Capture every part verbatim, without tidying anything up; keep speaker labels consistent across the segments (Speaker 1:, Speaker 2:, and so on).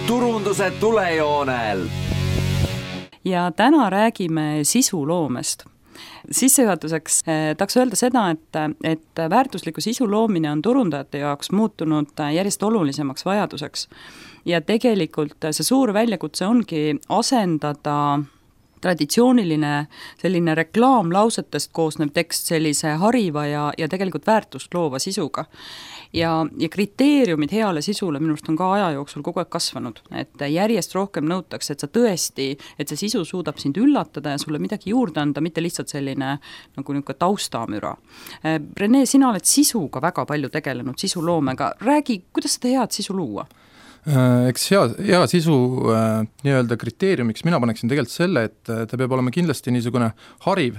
Speaker 1: turunduse tulejoonel.
Speaker 2: Ja täna räägime sisuloomest. Sissejuhatuseks eh, tahaks öelda seda, et, et väärtusliku sisu loomine on turundajate jaoks muutunud järjest olulisemaks vajaduseks. Ja tegelikult see suur väljakutse ongi asendada traditsiooniline selline reklaamlausetest koosnev tekst sellise hariva ja, ja tegelikult väärtust loova sisuga. Ja, ja kriteeriumid heale sisule minust on ka aja jooksul kogu aeg kasvanud, et järjest rohkem nõutakse, et sa tõesti, et see sisu suudab sind üllatada ja sulle midagi juurde anda, mitte lihtsalt selline nagu niisugune taustamüra. Rene, sina oled sisuga väga palju tegelenud, sisuloomega. Räägi, kuidas seda head sisu luua?
Speaker 3: Eks hea, hea sisu äh, nii-öelda kriteeriumiks mina paneksin tegelikult selle, et ta peab olema kindlasti niisugune hariv,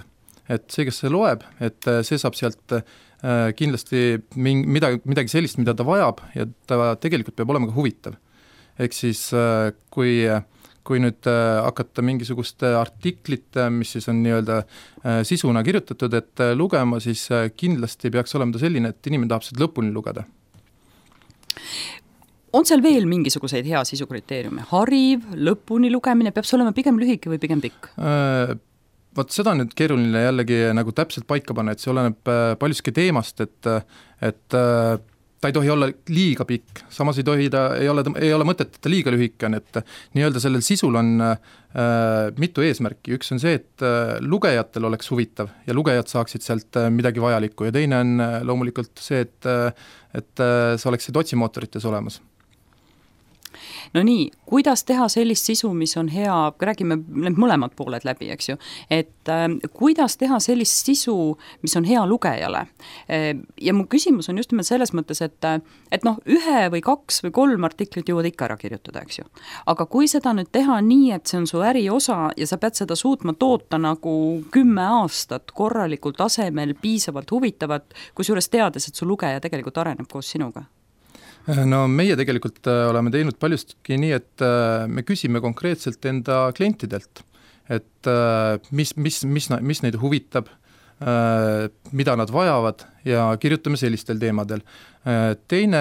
Speaker 3: et see, kes see loeb, et see saab sealt äh, kindlasti ming, midagi, midagi sellist, mida ta vajab ja ta tegelikult peab olema ka huvitav. Ehk siis äh, kui, kui nüüd äh, hakata mingisuguste artiklit, mis siis on nii-öelda äh, sisuna kirjutatud, et äh, lugema, siis äh, kindlasti peaks olema ta selline, et inimene tahab seda lõpuni lugeda.
Speaker 2: On seal veel mingisuguseid hea sisukriteeriume? Hariv, lõpuni lugemine, peab see olema pigem lühike või pigem pikk?
Speaker 3: Äh, Vaat seda on nüüd keeruline jällegi nagu täpselt paika panna, et see oleneb paljuski teemast, et, et ta ei tohi olla liiga pikk, samas ei tohi ta, ei ole, ei ole mõtet, et ta liiga lühike on, et nii-öelda sellel sisul on äh, mitu eesmärki. Üks on see, et lugejatel oleks huvitav ja lugejad saaksid sealt midagi vajalikku ja teine on loomulikult see, et, et sa oleksid otsimootorites olemas.
Speaker 2: No nii, kuidas teha sellist sisu, mis on hea, räägime need mõlemad pooled läbi, eks ju, et äh, kuidas teha sellist sisu, mis on hea lugejale. Ja mu küsimus on just nimelt selles mõttes, et, et noh, ühe või kaks või kolm artiklit jõuad ikka ära kirjutada, eks ju. Aga kui seda nüüd teha nii, et see on su äriosa ja sa pead seda suutma toota nagu kümme aastat korralikul tasemel, piisavalt huvitavat, kusjuures teades, et su lugeja tegelikult areneb koos sinuga?
Speaker 3: No meie tegelikult oleme teinud paljustki nii, et me küsime konkreetselt enda klientidelt, et mis, mis, mis, mis neid huvitab, mida nad vajavad ja kirjutame sellistel teemadel. Teine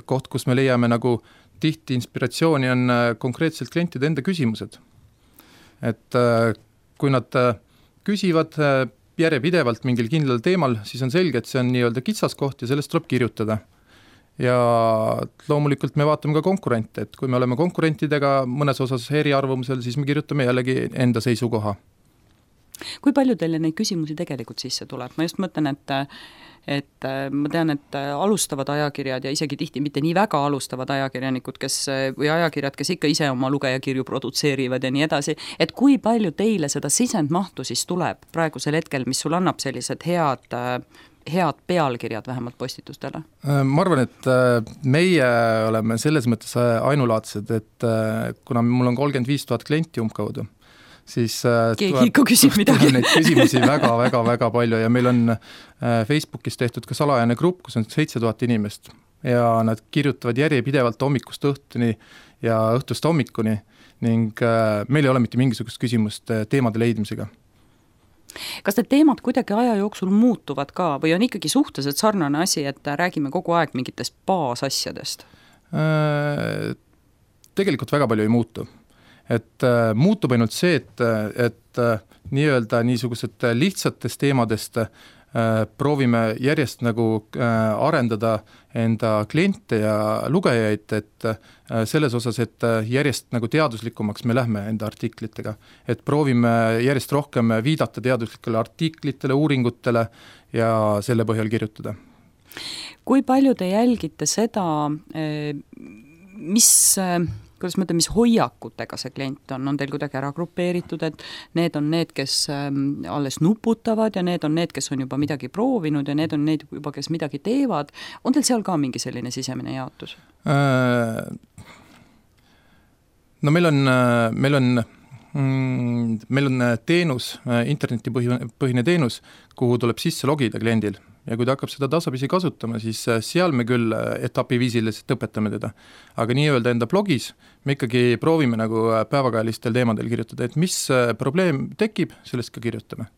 Speaker 3: koht, kus me leiame nagu tihti inspiratsiooni, on konkreetselt klientide enda küsimused. Et kui nad küsivad järjepidevalt mingil kindlal teemal, siis on selge, et see on nii-öelda kitsaskoht ja sellest tuleb kirjutada. Ja loomulikult me vaatame ka konkurente, et kui me oleme konkurentidega mõnes osas eriarvamusel, siis me kirjutame jällegi enda seisukoha.
Speaker 2: Kui palju teile neid küsimusi tegelikult sisse tuleb? Ma just mõtlen, et, et ma tean, et alustavad ajakirjad ja isegi tihti mitte nii väga alustavad ajakirjanikud, kes, või ajakirjad, kes ikka ise oma lugejakirju produtseerivad ja nii edasi, et kui palju teile seda sisendmahtu siis tuleb praegusel hetkel, mis sul annab sellised head head pealkirjad vähemalt postitustele?
Speaker 3: Ma arvan, et meie oleme selles mõttes ainulaadsed, et kuna mul on kolmkümmend viis tuhat klienti umbkaudu, siis
Speaker 2: keegi ikka küsib midagi.
Speaker 3: Neid küsimusi väga, väga, väga palju ja meil on Facebookis tehtud ka salajane grupp, kus on seitse tuhat inimest ja nad kirjutavad järjepidevalt hommikust õhtuni ja õhtust hommikuni ning meil ei ole mitte mingisugust küsimust teemade leidmisega.
Speaker 2: Kas need teemad kuidagi aja jooksul muutuvad ka või on ikkagi suhteliselt sarnane asi, et räägime kogu aeg mingitest baasasjadest?
Speaker 3: Tegelikult väga palju ei muutu. Et muutub ainult see, et, et nii-öelda niisugused lihtsatest teemadest proovime järjest nagu arendada enda kliente ja lugejaid, et selles osas, et järjest nagu teaduslikumaks me lähme enda artiklitega. Et proovime järjest rohkem viidata teaduslikele artiklitele, uuringutele ja selle põhjal kirjutada.
Speaker 2: Kui palju te jälgite seda, mis... kuidas mõtleme, mis hoiakutega see klient on, on teil kuidagi ära grupeeritud, et need on need, kes alles nuputavad ja need on need, kes on juba midagi proovinud ja need on need juba, kes midagi teevad. On teil seal ka mingi selline sisemine jaotus?
Speaker 3: No meil on, meil on, meil on teenus, internetipõhine teenus, kuhu tuleb sisse logida kliendil. Ja kui ta hakkab seda tasapisi kasutama, siis seal me küll etapiviisiliselt õpetame teda. Aga nii-öelda enda blogis me ikkagi proovime nagu päevakajalistel teemadel kirjutada, et mis probleem tekib, sellest ka kirjutame.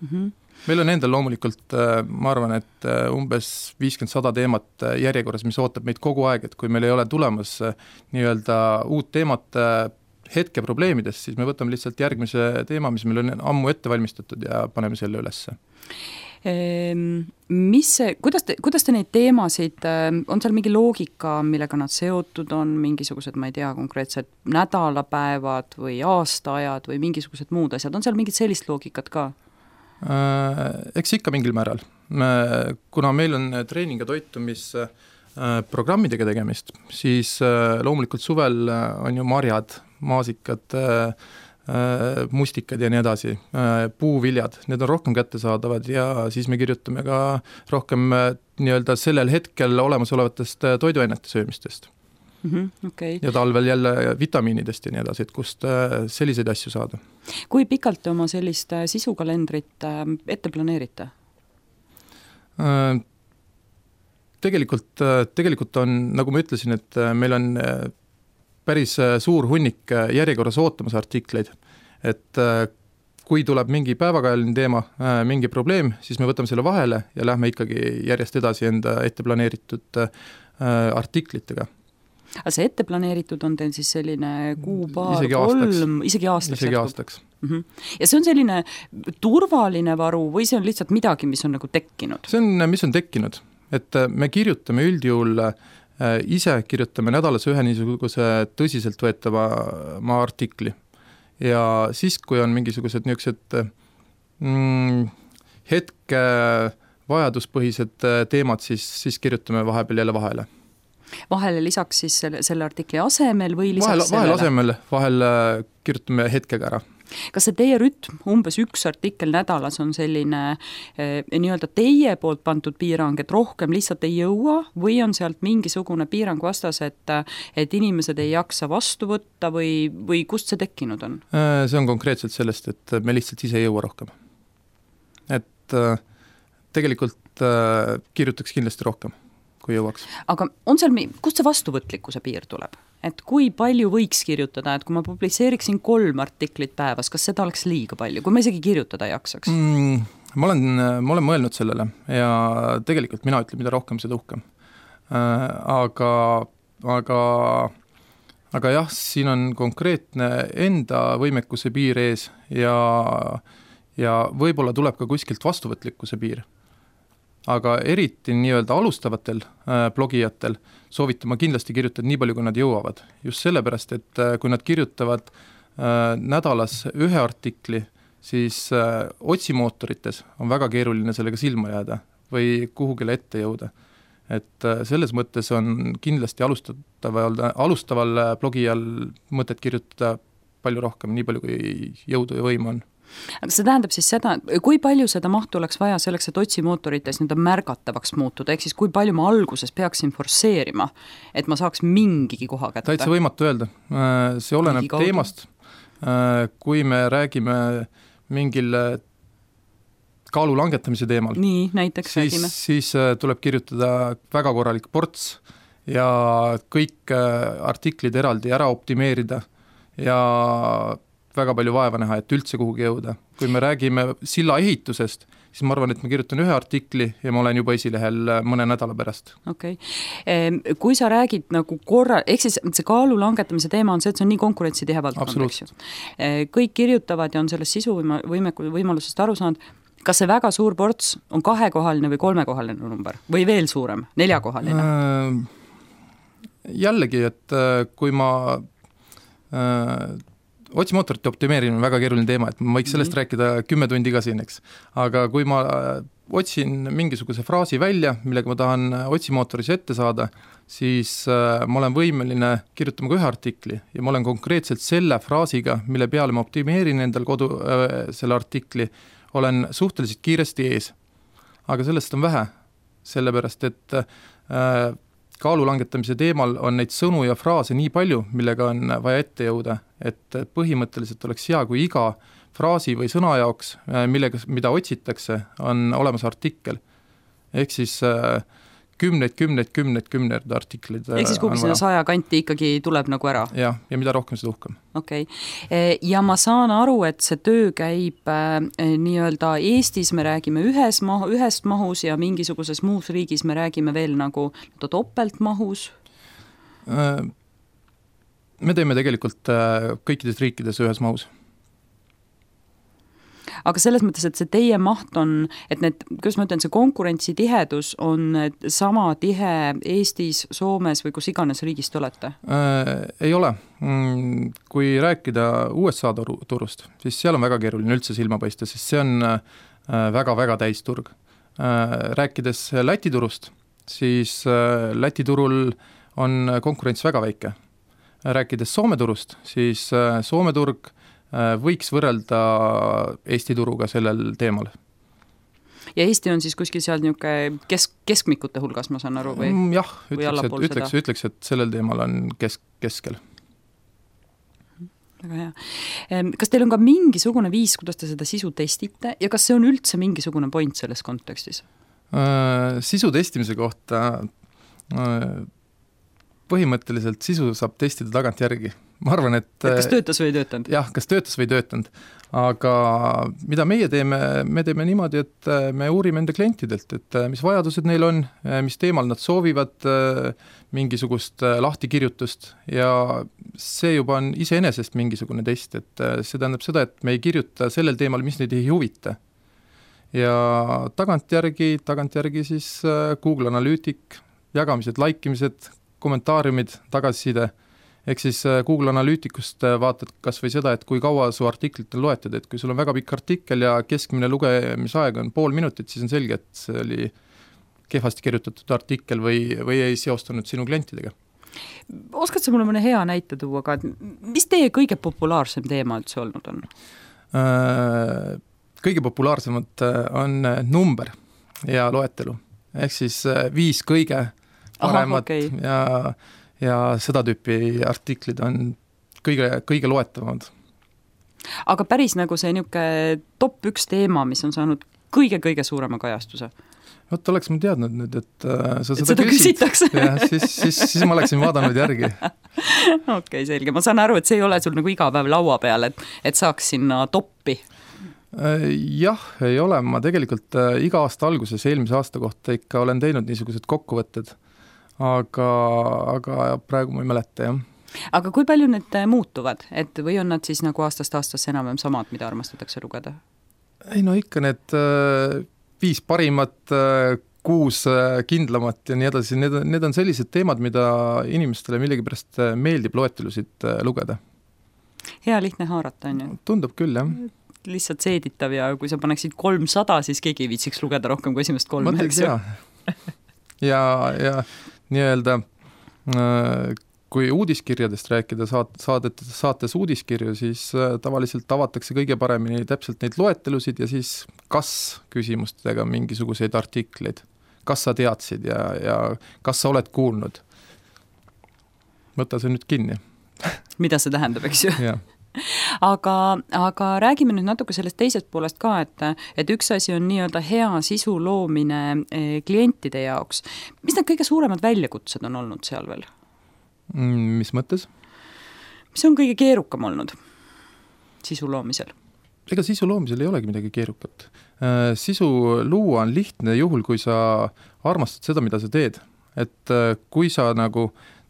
Speaker 2: Mm-hmm.
Speaker 3: meil on endal loomulikult, ma arvan, et umbes viiskümmend sada teemat järjekorras, mis ootab meid kogu aeg, et kui meil ei ole tulemas nii-öelda uut teemat hetke probleemidest, siis me võtame lihtsalt järgmise teema, mis meil on ammu ette valmistatud ja paneme selle ülesse.
Speaker 2: Mis see, kuidas te, kuidas te neid teemasid, on seal mingi loogika, millega nad seotud on, mingisugused, ma ei tea, konkreetsed nädalapäevad või aastaajad või mingisugused muud asjad, on seal mingit sellist loogikat ka?
Speaker 3: Eks ikka mingil määral. Kuna meil on treening- ja toitumisprogrammidega tegemist, siis loomulikult suvel on ju marjad, maasikad, mustikad ja nii edasi, puuviljad, need on rohkem kättesaadavad ja siis me kirjutame ka rohkem nii-öelda sellel hetkel olemasolevatest toiduainete söömistest.
Speaker 2: Mm-hmm, okay.
Speaker 3: Ja talvel jälle vitamiinidest ja nii edasi, et kust selliseid asju saada.
Speaker 2: Kui pikalt te oma sellist sisukalendrit ette planeerite?
Speaker 3: Tegelikult, tegelikult on, nagu ma ütlesin, et meil on päris suur hunnik järjekorras ootamas artikleid, et kui tuleb mingi päevakajaline teema, mingi probleem, siis me võtame selle vahele ja lähme ikkagi järjest edasi enda ette planeeritud artiklitega.
Speaker 2: Aga see ette planeeritud on teil siis selline kuu, paar,
Speaker 3: isegi
Speaker 2: kolm,
Speaker 3: aastaks.
Speaker 2: isegi aastaks.
Speaker 3: Isegi aastaks.
Speaker 2: Mm-hmm. Ja see on selline turvaline varu või see on lihtsalt midagi, mis on nagu tekkinud?
Speaker 3: See on, mis on tekkinud, et me kirjutame üldjuhul ise kirjutame nädalas ühe niisuguse tõsiselt võetava maa artikli ja siis, kui on mingisugused niisugused mm, hetke vajaduspõhised teemad, siis, siis kirjutame vahepeal jälle vahele.
Speaker 2: Vahele lisaks siis selle, selle artikli asemel või lisaks
Speaker 3: vahel,
Speaker 2: sellele?
Speaker 3: Vahel asemel, vahel kirjutame hetkega ära.
Speaker 2: Kas see teie rütm, umbes üks artikkel nädalas on selline eh, nii-öelda teie poolt pandud piirang, et rohkem lihtsalt ei jõua või on sealt mingisugune piirang vastas, et, et inimesed ei jaksa vastu võtta või, või kust see tekkinud on?
Speaker 3: See on konkreetselt sellest, et me lihtsalt ise ei jõua rohkem. Et tegelikult kirjutaks kindlasti rohkem, kui jõuaks.
Speaker 2: Aga on seal, kust see vastuvõtlikkuse piir tuleb? Et kui palju võiks kirjutada, et kui ma publitseeriksin kolm artiklit päevas, kas seda oleks liiga palju, kui ma isegi kirjutada jaksaks?
Speaker 3: Mm, ma, olen, ma olen mõelnud sellele ja tegelikult mina ütlen, mida rohkem, seda uhkem. Äh, aga, aga, aga jah, siin on konkreetne enda võimekuse piir ees ja, ja võib-olla tuleb ka kuskilt vastuvõtlikkuse piir. Aga eriti nii-öelda alustavatel äh, blogijatel soovitama kindlasti kirjutada nii palju, kui nad jõuavad. Just sellepärast, et äh, kui nad kirjutavad äh, nädalas ühe artikli, siis äh, otsimootorites on väga keeruline sellega silma jääda või kuhugile ette jõuda. Et äh, selles mõttes on kindlasti alustaval, alustaval blogijal mõtet kirjutada palju rohkem, nii palju kui jõudu ja võim on.
Speaker 2: Aga see tähendab siis seda, kui palju seda mahtu oleks vaja selleks, et otsimootorites nii-öelda märgatavaks muutuda, ehk siis kui palju ma alguses peaksin forsseerima, et ma saaks mingigi koha kätte?
Speaker 3: Täitsa võimatu öelda. See oleneb teemast. Kui me räägime mingil kaalu langetamise teemal,
Speaker 2: nii, näiteks
Speaker 3: siis,
Speaker 2: räägime.
Speaker 3: siis tuleb kirjutada väga korralik ports ja kõik artiklid eraldi ära optimeerida ja väga palju vaeva näha, et üldse kuhugi jõuda. Kui me räägime silla ehitusest, siis ma arvan, et ma kirjutan ühe artikli ja ma olen juba esilehel mõne nädala pärast.
Speaker 2: Okei. Okay. Kui sa räägid nagu korra, ehk siis see kaalu langetamise teema on see, et see on nii konkurentsitihe valdkond. Kõik kirjutavad ja on sellest sisu võimeku, võimalusest aru saanud. Kas see väga suur ports on kahekohaline või kolmekohaline number? Või veel suurem, neljakohaline?
Speaker 3: Jällegi, et kui ma otsimootorite optimeerimine on väga keeruline teema, et ma võiks sellest mm-hmm. rääkida kümme tundi ka siin, eks. Aga kui ma otsin mingisuguse fraasi välja, millega ma tahan otsimootoris ette saada, siis ma olen võimeline kirjutama ka ühe artikli ja ma olen konkreetselt selle fraasiga, mille peale ma optimeerin endal kodu äh, selle artikli, olen suhteliselt kiiresti ees. Aga sellest on vähe, sellepärast et äh, kaalu langetamise teemal on neid sõnu ja fraase nii palju, millega on vaja ette jõuda, et põhimõtteliselt oleks hea, kui iga fraasi või sõna jaoks, millega, mida otsitakse, on olemas artikkel. Ehk siis kümneid, kümneid, kümneid, kümneid artiklid.
Speaker 2: Ehk siis kuhugi seda saja kanti ikkagi tuleb nagu ära?
Speaker 3: Jah, ja mida rohkem, seda uhkem.
Speaker 2: Okei. Okay. Ja ma saan aru, et see töö käib äh, nii-öelda Eestis me räägime ühes mahu, ühest mahus ja mingisuguses muus riigis me räägime veel nagu topeltmahus?
Speaker 3: Me teeme tegelikult kõikides riikides ühes mahus.
Speaker 2: Aga selles mõttes, et see teie maht on, et need, kuidas ma ütlen, see konkurentsitihedus on sama tihe Eestis, Soomes või kus iganes riigist olete?
Speaker 3: Äh, ei ole. Kui rääkida U S A turust, siis seal on väga keeruline üldse silma paista, sest see on väga-väga täisturg. Rääkides Läti turust, siis Läti turul on konkurents väga väike. Rääkides Soome turust, siis Soome turg võiks võrrelda Eesti turuga sellel teemal.
Speaker 2: Ja Eesti on siis kuskil seal niisugune kesk, keskmikute hulgas, ma saan aru, või?
Speaker 3: Jah, ütleks, et, ütleks, ütleks, et sellel teemal on kesk, keskel.
Speaker 2: Väga hea. Kas teil on ka mingisugune viis, kuidas te seda sisu testite ja kas see on üldse mingisugune point selles kontekstis?
Speaker 3: Äh, sisu testimise kohta äh, põhimõtteliselt sisu saab testida tagant järgi. Ma arvan, et... et
Speaker 2: kas töötas või ei töötanud?
Speaker 3: Jah, kas töötas või ei töötanud. Aga mida meie teeme, me teeme niimoodi, et me uurime enda klientidelt, et mis vajadused neil on, mis teemal nad soovivad mingisugust lahtikirjutust ja see juba on iseenesest mingisugune test, et see tähendab seda, et me ei kirjuta sellel teemal, mis neid ei huvita. Ja tagantjärgi, tagantjärgi siis Google Analytic, jagamised, laikimised, kommentaariumid, tagasiside. Ehk siis Google Analyticust vaatad kas või seda, et kui kaua su artiklit on loetud, et kui sul on väga pikk artikkel ja keskmine lugemisaeg on pool minutit, siis on selge, et see oli kehvasti kirjutatud artikkel või, või ei seostunud sinu klientidega.
Speaker 2: Oskad sa mulle mõne hea näite tuua, aga mis teie kõige populaarsem teema üldse olnud on?
Speaker 3: Kõige populaarsemad on number ja loetelu. Ehk siis viis kõige paremat Aha, okay. ja ja seda tüüpi artiklid on kõige, kõige loetavamad.
Speaker 2: Aga päris nagu see niisugune top üks teema, mis on saanud kõige-kõige suurema kajastuse?
Speaker 3: Vot oleks ma teadnud nüüd, et äh, sa
Speaker 2: et
Speaker 3: seda,
Speaker 2: seda küsitakse.
Speaker 3: Ja, siis, siis, siis ma oleksin vaadanud järgi.
Speaker 2: Okei, okay, selge. Ma saan aru, et see ei ole sul nagu iga päev laua peal, et, et saaks sinna toppi.
Speaker 3: Jah, ei ole. Ma tegelikult äh, iga aasta alguses, eelmise aasta kohta ikka olen teinud niisugused kokkuvõtted. Aga, aga praegu ma ei mäleta, jah.
Speaker 2: Aga kui palju need muutuvad? Et või on nad siis nagu aastast aastas enam samad, mida armastatakse lugeda?
Speaker 3: Ei no ikka need äh, viis parimat, äh, kuus äh, kindlamat ja nii edasi. Need, need on sellised teemad, mida inimestele millegipärast meeldib loetelusid äh, lugeda.
Speaker 2: Hea lihtne haarata, on ju?
Speaker 3: Tundub küll, jah. Lihtsalt
Speaker 2: seeditav ja kui sa paneksid kolmsada, siis keegi ei viitsiks lugeda rohkem kui esimest kolme.
Speaker 3: Ma teeks, jah. ja, ja nii-öelda, kui uudiskirjadest rääkida saat, saadet, saates uudiskirju, siis tavaliselt avatakse kõige paremini täpselt neid loetelusid ja siis kas küsimustega mingisuguseid artikleid, kas sa teadsid ja, ja kas sa oled kuulnud. Võta see nüüd kinni.
Speaker 2: Mida see tähendab, eks ju?
Speaker 3: Jah.
Speaker 2: Aga, aga räägime nüüd natuke sellest teisest poolest ka, et, et üks asi on nii-öelda hea sisu loomine klientide jaoks. Mis need kõige suuremad väljakutsed on olnud seal veel?
Speaker 3: Mis mõttes?
Speaker 2: Mis on kõige keerukam olnud sisu loomisel?
Speaker 3: Ega sisu loomisel ei olegi midagi keerukat. Sisu luua on lihtne juhul, kui sa armastad seda, mida sa teed. Et kui sa nagu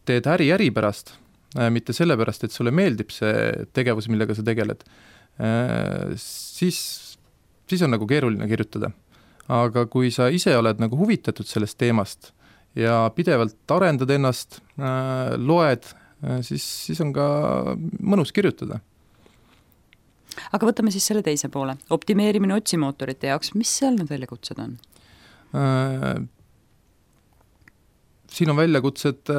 Speaker 3: teed äri äri pärast, mitte sellepärast, et sulle meeldib see tegevus, millega sa tegeled, siis, siis on nagu keeruline kirjutada. Aga kui sa ise oled nagu huvitatud sellest teemast ja pidevalt arendad ennast, loed, siis, siis on ka mõnus kirjutada.
Speaker 2: Aga võtame siis selle teise poole. Optimeerimine otsimootorite jaoks, mis seal need väljakutsed on?
Speaker 3: Siin on väljakutsed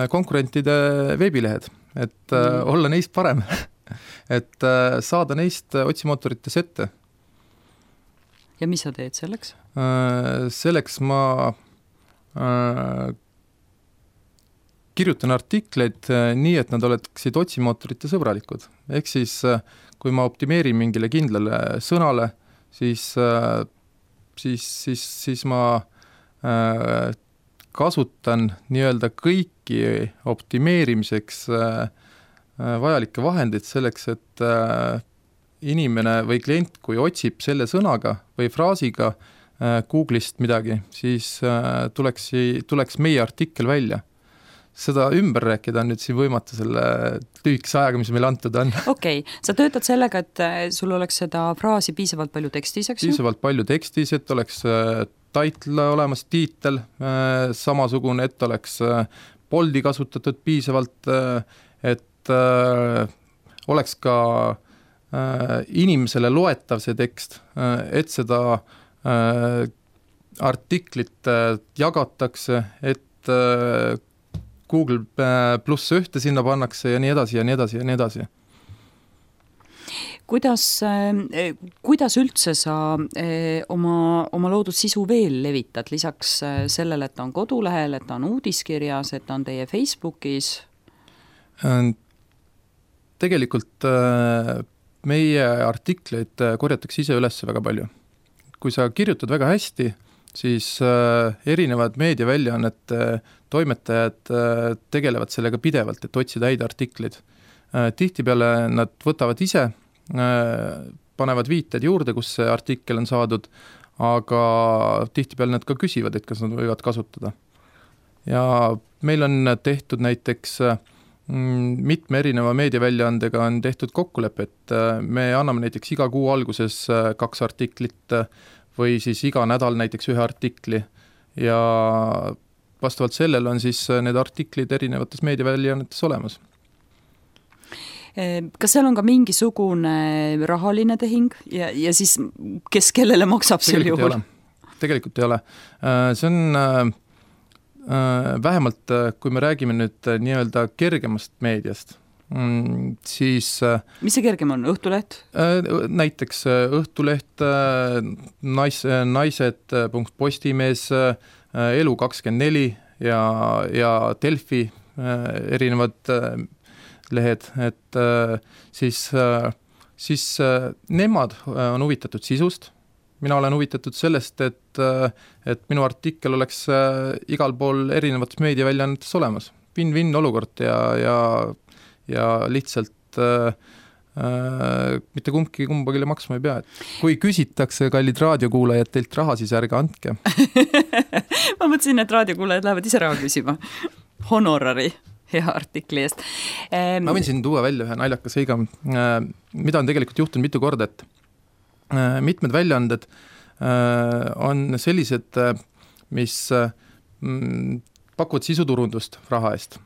Speaker 3: konkurentide veebilehed, et mm. olla neist parem, et saada neist otsimootorites ette.
Speaker 2: Ja mis sa teed selleks?
Speaker 3: Selleks ma kirjutan artikleid nii, et nad oleksid otsimootorite sõbralikud. Ehk siis, kui ma optimeerin mingile kindlale sõnale, siis, siis, siis, siis ma kasutan nii-öelda kõiki optimeerimiseks vajalikke vahendeid selleks, et inimene või klient, kui otsib selle sõnaga või fraasiga Google'ist midagi, siis tuleks, tuleks meie artikkel välja. Seda ümber rääkida on nüüd siin võimatu selle lühikese ajaga, mis meil antud on.
Speaker 2: Okei, okay. Sa töötad sellega, et sul oleks seda fraasi piisavalt palju tekstis, eks ju?
Speaker 3: Piisavalt palju tekstis, et oleks title olemas, tiitel, samasugune, et oleks boldi kasutatud piisavalt, et oleks ka inimesele loetav see tekst, et seda artiklit jagatakse, et Google pluss ühte sinna pannakse ja nii edasi ja nii edasi ja nii edasi.
Speaker 2: Kuidas, kuidas üldse sa oma, oma loodud sisu veel levitad, lisaks sellele, et ta on kodulehel, et ta on uudiskirjas, et ta on teie Facebookis?
Speaker 3: Tegelikult meie artikleid korjatakse ise üles väga palju. Kui sa kirjutad väga hästi, siis erinevad meediaväljaannete toimetajad tegelevad sellega pidevalt, et otsida häid artikleid. Tihtipeale nad võtavad ise, panevad viited juurde, kus see artikkel on saadud, aga tihtipeale nad ka küsivad, et kas nad võivad kasutada. Ja meil on tehtud näiteks mitme erineva meediaväljaandega on tehtud kokkulepe, et me anname näiteks iga kuu alguses kaks artiklit või siis iga nädal näiteks ühe artikli ja vastavalt sellele on siis need artiklid erinevates meediaväljaannetes olemas.
Speaker 2: Kas seal on ka mingisugune rahaline tehing ja, ja siis kes kellele maksab sel juhul?
Speaker 3: Tegelikult ei ole. See on vähemalt, kui me räägime nüüd nii-öelda kergemast meediast, siis
Speaker 2: mis see kergem on? Õhtuleht?
Speaker 3: Näiteks Õhtuleht, nais, naised punkt postimees, Elu kakskümmend neli ja, ja Delfi erinevad lehed, et siis, siis nemad on huvitatud sisust. Mina olen huvitatud sellest, et, et minu artikkel oleks igal pool erinevates meediaväljaannetes olemas. Win-win olukord ja, ja, ja lihtsalt äh, mitte kumbki kumbagile maksma ei pea. Kui küsitakse, kallid raadiokuulajad, teilt raha, siis ärge andke.
Speaker 2: Ma mõtlesin, et raadiokuulajad lähevad ise raha küsima. Honorari hea artikli eest.
Speaker 3: Ma võin siin tuua välja ühe naljaka seiga, mida on tegelikult juhtunud mitu korda, et mitmed väljaanded on sellised, mis pakuvad sisuturundust raha eest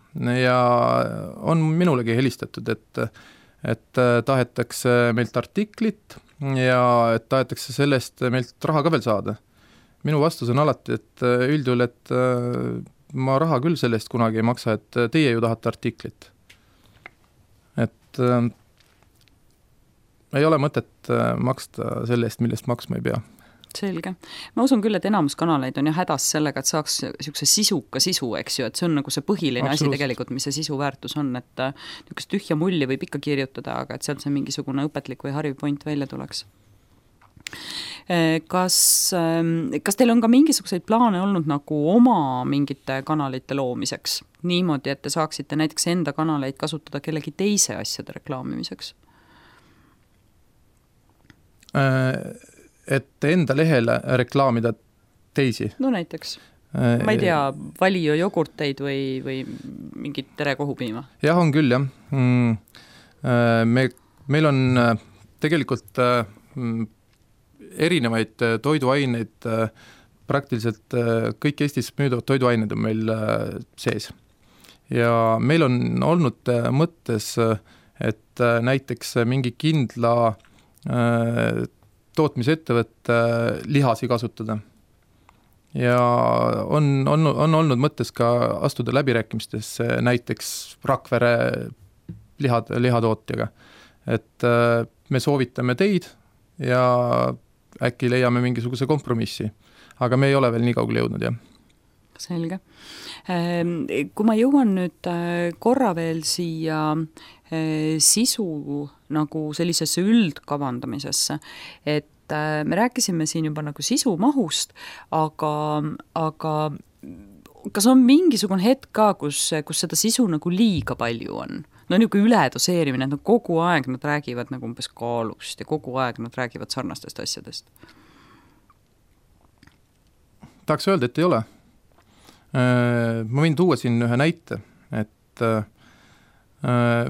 Speaker 3: ja on minulegi helistatud, et, et tahetakse meilt artiklit ja et tahetakse sellest meilt raha ka veel saada. Minu vastus on alati, et üldjuhul, et ma raha küll sellest kunagi ei maksa, et teie ju tahate artiklit. Et ei ole mõtet maksta selle eest, millest maksma ei pea.
Speaker 2: Selge. Ma usun küll, et enamus kanaleid on ju hädas sellega, et saaks niisuguse sisuka sisu, eks ju, et see on nagu see põhiline asi tegelikult, mis see sisu väärtus on, et niisugust tühja mulli võib ikka kirjutada, aga et sealt see mingisugune õpetlik või hariv point välja tuleks. Kas, kas teil on ka mingisuguseid plaane olnud nagu oma mingite kanalite loomiseks? Niimoodi, et te saaksite näiteks enda kanaleid kasutada kellegi teise asjade reklaamimiseks?
Speaker 3: Et enda lehele reklaamida teisi?
Speaker 2: No näiteks. Ma ei tea, Valio jogurteid või, või mingit terekohupiima?
Speaker 3: Jah, on küll, jah. Me, meil on tegelikult erinevaid toiduaineid, praktiliselt kõik Eestis müüdavad toiduained on meil sees. Ja meil on olnud mõttes, et näiteks mingi kindla tootmisettevõtte lihasi kasutada. Ja on, on, on olnud mõttes ka astuda läbirääkimistesse näiteks Rakvere lihad, lihatootjaga. Et me soovitame teid ja äkki leiame mingisuguse kompromissi. Aga me ei ole veel nii kaugele jõudnud, jah.
Speaker 2: Selge. Kui ma jõuan nüüd korra veel siia sisu nagu sellisesse üldkavandamisesse, et et me rääkisime siin juba nagu sisumahust, aga, aga kas on mingisugune hetk ka, kus, kus seda sisu nagu liiga palju on? No niisugune üledoseerimine, et no kogu aeg nad räägivad nagu umbes kaalust ja kogu aeg nad räägivad sarnastest asjadest.
Speaker 3: Tahaks öelda, et ei ole. Ma võin tuua siin ühe näite, et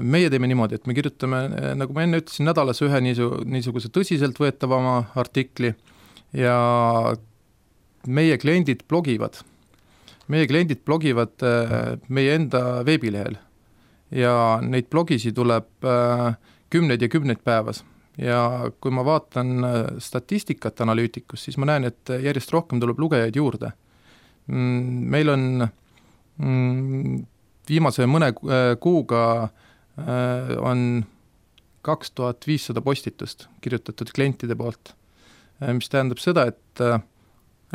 Speaker 3: meie teeme niimoodi, et me kirjutame, nagu ma enne ütlesin, nädalas ühe niisuguse tõsiselt võetavama artikli ja meie kliendid blogivad. Meie kliendid blogivad meie enda veebilehel ja neid blogisi tuleb kümneid ja kümneid päevas. Ja kui ma vaatan statistikat analüütikus, siis ma näen, et järjest rohkem tuleb lugejaid juurde. Meil on viimase mõne kuuga on kaks tuhat viissada postitust kirjutatud klientide poolt, mis tähendab seda, et,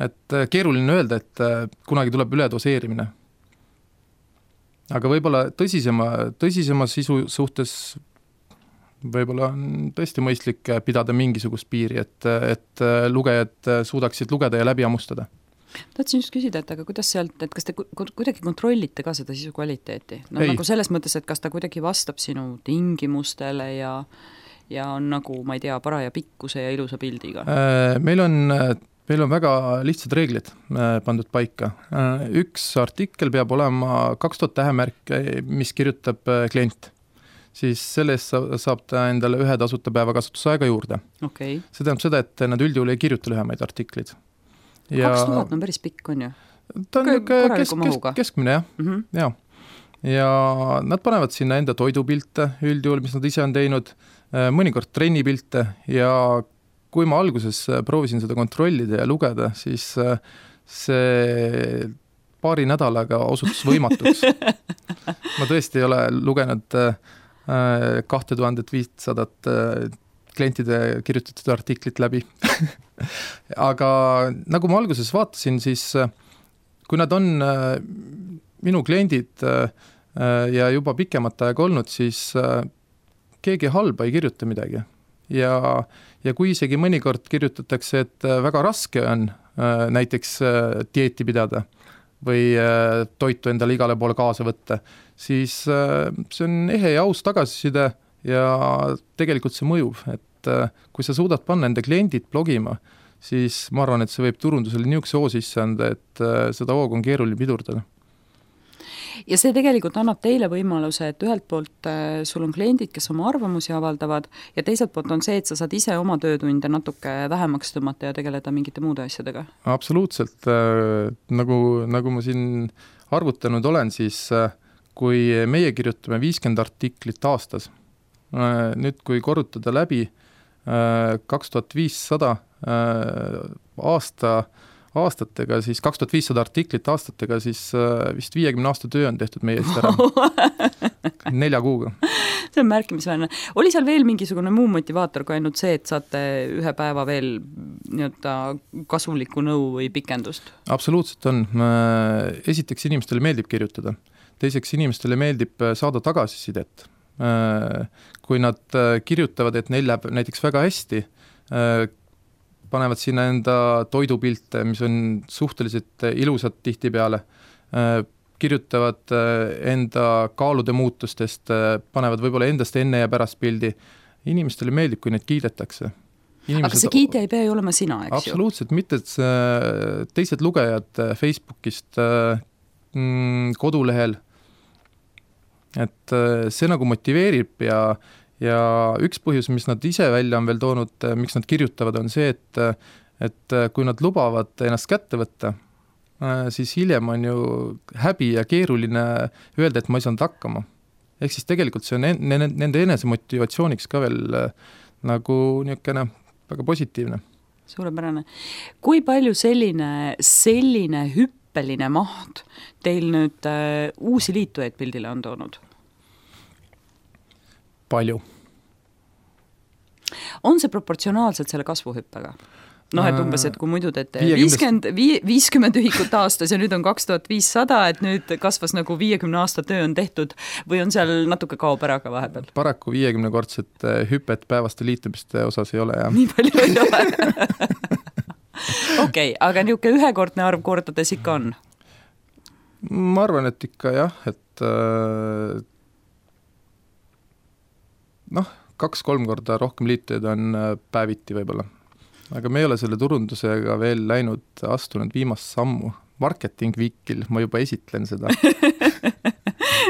Speaker 3: et keeruline öelda, et kunagi tuleb üledoseerimine. Aga võib-olla tõsisema, tõsisema sisu suhtes võib-olla on tõesti mõistlik pidada mingisugust piiri, et, et lugejad suudaksid lugeda ja läbi ammustada.
Speaker 2: Tahtsin just küsida, et aga kuidas sealt, et kas te kuidagi kontrollite ka seda sisu kvaliteeti? No, nagu selles mõttes, et kas ta kuidagi vastab sinu tingimustele ja, ja on nagu, ma ei tea, paraja pikkuse ja ilusa pildiga?
Speaker 3: Meil on, meil on väga lihtsad reeglid pandud paika. Üks artikkel peab olema kaks tuhat tähemärke, mis kirjutab klient. Siis sellest saab ta endale ühe tasuta päeva kasutusaega juurde.
Speaker 2: Okay.
Speaker 3: See tähendab seda, et nad üldjuhul ei kirjuta lühemaid artiklid.
Speaker 2: Ja kaks tuhat on päris pikk, on ju?
Speaker 3: Ta on kesk, kesk, keskmine, jah. Mm-hmm. Ja. ja nad panevad sinna enda toidupilte üldjuhul, mis nad ise on teinud, mõnikord trennipilte ja kui ma alguses proovisin seda kontrollida ja lugeda, siis see paari nädalaga osutus võimatuks. Ma tõesti ei ole lugenud kaks tuhat viissada klientide kirjutatud artiklit läbi. Aga nagu ma alguses vaatasin, siis kui nad on minu kliendid ja juba pikemat aega olnud, siis keegi halba ei kirjuta midagi. Ja, ja kui isegi mõnikord kirjutatakse, et väga raske on näiteks dieeti pidada või toitu endale igale poole kaasa võtta, siis see on ehe ja aus tagasiside ja tegelikult see mõjub, et kui sa suudad panna enda kliendid blogima, siis ma arvan, et see võib turundusele niisuguse oo sisse anda, et seda hoogu on keeruline pidurdada.
Speaker 2: Ja see tegelikult annab teile võimaluse, et ühelt poolt sul on kliendid, kes oma arvamusi avaldavad ja teiselt poolt on see, et sa saad ise oma töötunde natuke vähemaks tõmmata ja tegeleda mingite muude asjadega. Absoluutselt.
Speaker 3: Nagu, nagu ma siin arvutanud olen, siis kui meie kirjutame viiskümmend artiklit aastas, nüüd kui korrutada läbi kaks tuhat viissada aasta, aastatega, siis kaks tuhat viissada artiklit aastatega, siis vist viiekümne aasta töö on tehtud meie eest ära. Nelja kuuga.
Speaker 2: See on märkimisväärne. Oli seal veel mingisugune muu motivaator kui ainult see, et saate ühe päeva veel nii-öelda kasuliku nõu või pikendust? Absoluutselt on.
Speaker 3: Esiteks inimestele meeldib kirjutada. Teiseks inimestele meeldib saada tagasisidet. Kui nad kirjutavad, et neil läheb näiteks väga hästi, panevad sinna enda toidupilte, mis on suhteliselt ilusad tihti peale, kirjutavad enda kaalude muutustest, panevad võib-olla endast enne ja pärast pildi. Inimestele meeldib, kui neid kiidetakse.
Speaker 2: Inimesed... Aga see kiide ei pea ju olema sina, eks
Speaker 3: ju? Absoluutselt, mitte teised lugejad Facebookist, kodulehel, et see nagu motiveerib ja, ja üks põhjus, mis nad ise välja on veel toonud, miks nad kirjutavad, on see, et, et kui nad lubavad ennast kätte võtta, siis hiljem on ju häbi ja keeruline öelda, et ma ei saanud hakkama. Ehk siis tegelikult see on nende enese motivatsiooniks ka veel nagu niisugune väga positiivne.
Speaker 2: Suurepärane. Kui palju selline, selline hüppeline maht teil nüüd äh, uusi liitujaid pildile on toonud?
Speaker 3: Palju.
Speaker 2: On see proportsionaalselt selle kasvuhüppega? noh, et umbes, et kui muidu teete viiskümmend, viiskümmend ühikut aastas ja nüüd on kaks tuhat viissada, et nüüd kasvas nagu viiekümne aasta töö on tehtud või on seal natuke kaob ära ka vahepeal?
Speaker 3: Paraku viiekümnekordset hüpet päevaste liitumiste osas ei ole, jah.
Speaker 2: Nii palju ei ole. Okei, okay, aga niisugune ühekordne arv kordades ikka on?
Speaker 3: Ma arvan, et ikka jah, et noh, kaks-kolm korda rohkem liitujaid on päeviti võib-olla. Aga me ei ole selle turundusega veel läinud, astunud viimast sammu. Marketing Weekil, ma juba esitlen seda.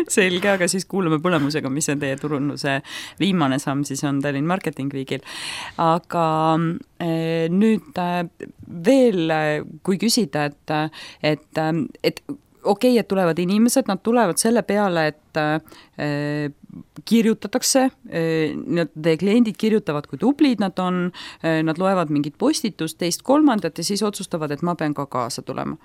Speaker 2: Selge, aga siis kuulame põlemusega, mis on teie turunduse viimane samm, siis on Tallinn Marketing Weekil. Aga eh, nüüd eh, veel, kui küsida, et, et, et okei, okay, et tulevad inimesed, nad tulevad selle peale, et äh, kirjutatakse, äh, teie kliendid kirjutavad, kui tublid nad on, äh, nad loevad mingit postitust, teist kolmandat ja siis otsustavad, et ma pean ka kaasa tulema.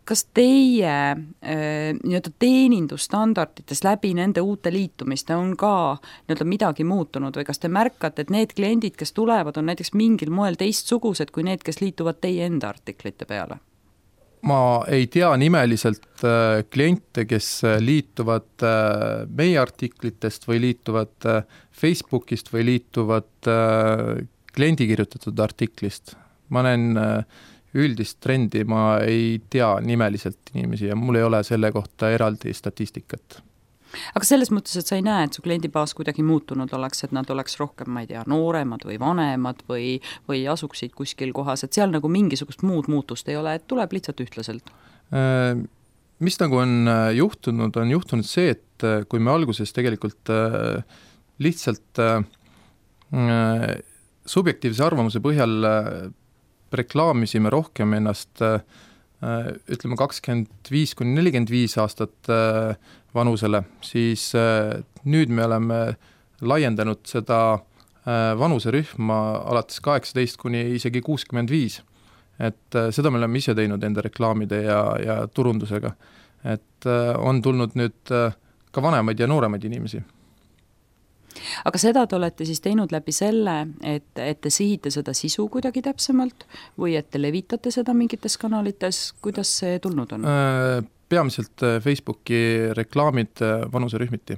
Speaker 2: Kas teie äh, nii-öelda teenindusstandardites läbi nende uute liitumiste on ka nii-öelda midagi muutunud või kas te märkate, et need kliendid, kes tulevad, on näiteks mingil moel teistsugused kui need, kes liituvad teie enda artiklite peale?
Speaker 3: Ma ei tea nimeliselt äh, kliente, kes liituvad äh, meie artiklitest või liituvad äh, Facebookist või liituvad äh, kliendi kirjutatud artiklist. Ma näen äh, üldist trendi, ma ei tea nimeliselt inimesi ja mul ei ole selle kohta eraldi statistikat.
Speaker 2: Aga selles mõttes, et sa ei näe, et su kliendibaas kuidagi muutunud oleks, et nad oleks rohkem, ma ei tea, nooremad või vanemad või, või asuksid kuskil kohas, et seal nagu mingisugust muud muutust ei ole, et tuleb lihtsalt ühtlaselt?
Speaker 3: Mis nagu on juhtunud, on juhtunud see, et kui me alguses tegelikult lihtsalt subjektiivse arvamuse põhjal reklaamisime rohkem ennast ütleme kakskümmend viis kuni nelikümmend viis aastat vanusele, siis nüüd me oleme laiendanud seda vanuserühma alates kaheksateist kuni isegi kuuskümmend viis. Et seda me oleme ise teinud enda reklaamide ja, ja turundusega. Et on tulnud nüüd ka vanemaid ja nooremaid inimesi.
Speaker 2: Aga seda te olete siis teinud läbi selle, et, et te sihite seda sisu kuidagi täpsemalt või et te levitate seda mingites kanalites, kuidas see tulnud on?
Speaker 3: Peamiselt Facebooki reklaamid vanuserühmiti.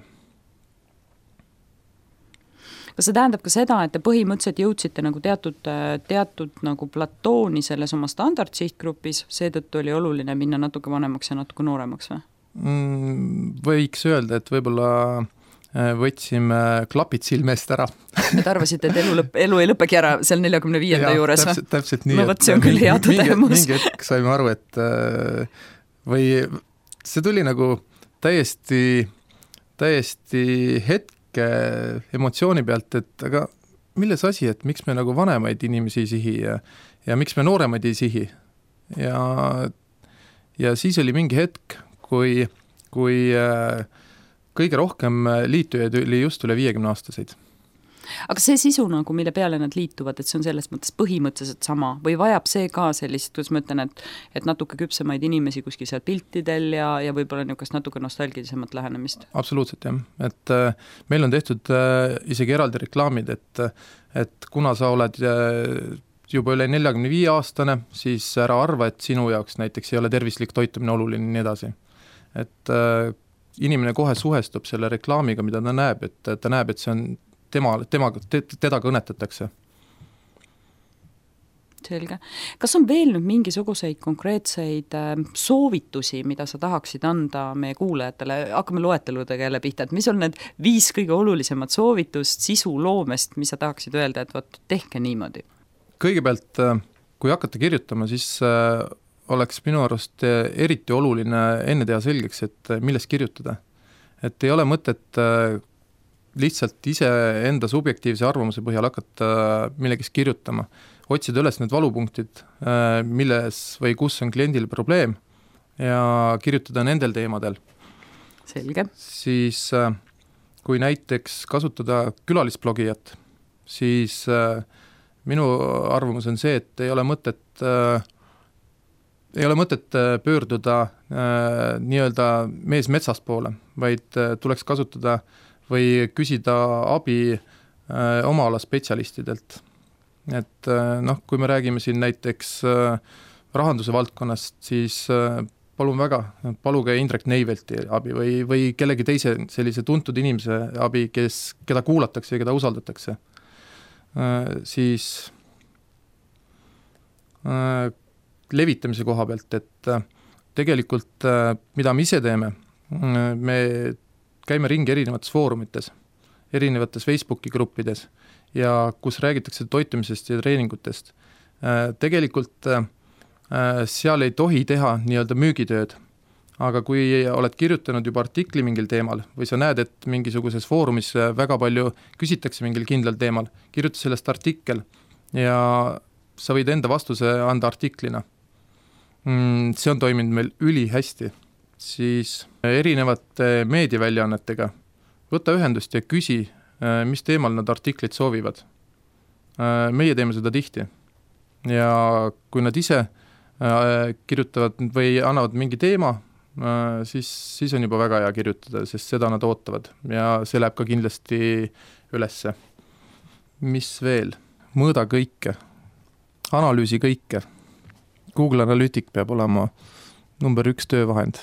Speaker 2: Kas see tähendab ka seda, et te põhimõtteliselt jõudsite nagu teatud, teatud nagu platooni selles oma standardsihtgrupis, seetõttu oli oluline minna natuke vanemaks ja natuke nooremaks või?
Speaker 3: Võiks öelda, et võib-olla võtsime klapid silmest ära.
Speaker 2: Et arvasite, et elu, lõpp, elu ei lõppegi ära seal neljakümne viienda ja, juures
Speaker 3: täpselt, täpselt nii,
Speaker 2: no võt, see on küll hea tõdemus.
Speaker 3: Mingi hetk saime aru, et või see tuli nagu täiesti, täiesti hetke emotsiooni pealt, et aga milles asi, et miks me nagu vanemaid inimesi ei sihi ja, ja miks me nooremaid ei sihi. Ja, ja siis oli mingi hetk, kui, kui kõige rohkem liitujaid oli just üle viiekümne aastaseid.
Speaker 2: Aga see sisu, nagu, mille peale nad liituvad, et see on selles mõttes põhimõtteliselt sama või vajab see ka sellist, kuidas ma ütlen, et, et natuke küpsemaid inimesi kuskil seal piltidel ja, ja võib-olla niisugust natuke nostalgilisemat lähenemist? Absoluutselt,
Speaker 3: jah. Et äh, meil on tehtud äh, isegi eraldi reklaamid, et, et kuna sa oled äh, juba üle neljakümne viie aastane, siis ära arva, et sinu jaoks näiteks ei ole tervislik toitumine oluline nii edasi. Et äh, inimene kohe suhestub selle reklaamiga, mida ta näeb, et ta näeb, et see on tema, tema, teda kõnetatakse.
Speaker 2: Selge. Kas on veel nüüd mingisuguseid konkreetseid soovitusi, mida sa tahaksid anda meie kuulajatele? Hakkame loeteludega jälle pihta, et mis on need viis kõige olulisemat soovitust sisu loomest, mis sa tahaksid öelda, et võt, tehke niimoodi? Kõigepealt,
Speaker 3: kui hakata kirjutama, siis oleks minu arust eriti oluline enne teha selgeks, et millest kirjutada. Et ei ole mõtet lihtsalt ise enda subjektiivse arvamuse põhjal hakata millegist kirjutama. Otsida üles need valupunktid, milles või kus on kliendil probleem ja kirjutada nendel teemadel.
Speaker 2: Selge. Siis
Speaker 3: kui näiteks kasutada külalisblogijat, siis minu arvamus on see, et ei ole mõtet ei ole mõtet pöörduda äh, nii-öelda mees metsast poole, vaid äh, tuleks kasutada või küsida abi äh, oma ala spetsialistidelt. et noh, kui me räägime siin näiteks rahanduse valdkonnast, siis palun väga, paluge Indrek Neivelti abi või, või kellegi teise sellise tuntud inimese abi, kes, keda kuulatakse ja keda usaldatakse. Siis levitamise koha pealt, et tegelikult mida me ise teeme, me käime ringi erinevates foorumites, erinevates Facebooki gruppides ja kus räägitakse toitumisest ja treeningutest. Tegelikult seal ei tohi teha nii-öelda müügitööd, aga kui oled kirjutanud juba artikli mingil teemal või sa näed, et mingisuguses foorumis väga palju küsitakse mingil kindlal teemal, kirjuta sellest artikkel ja sa võid enda vastuse anda artiklina. See on toiminud meil üli hästi. Siis erinevate meediaväljaannetega võta ühendust ja küsi, mis teemal nad artiklit soovivad. Meie teeme seda tihti. Ja kui nad ise kirjutavad või annavad mingi teema, siis, siis on juba väga hea kirjutada, sest seda nad ootavad ja see läheb ka kindlasti ülesse. Mis veel? Mõõda kõike, analüüsi kõike. Google Analytic peab olema number üks töövahend.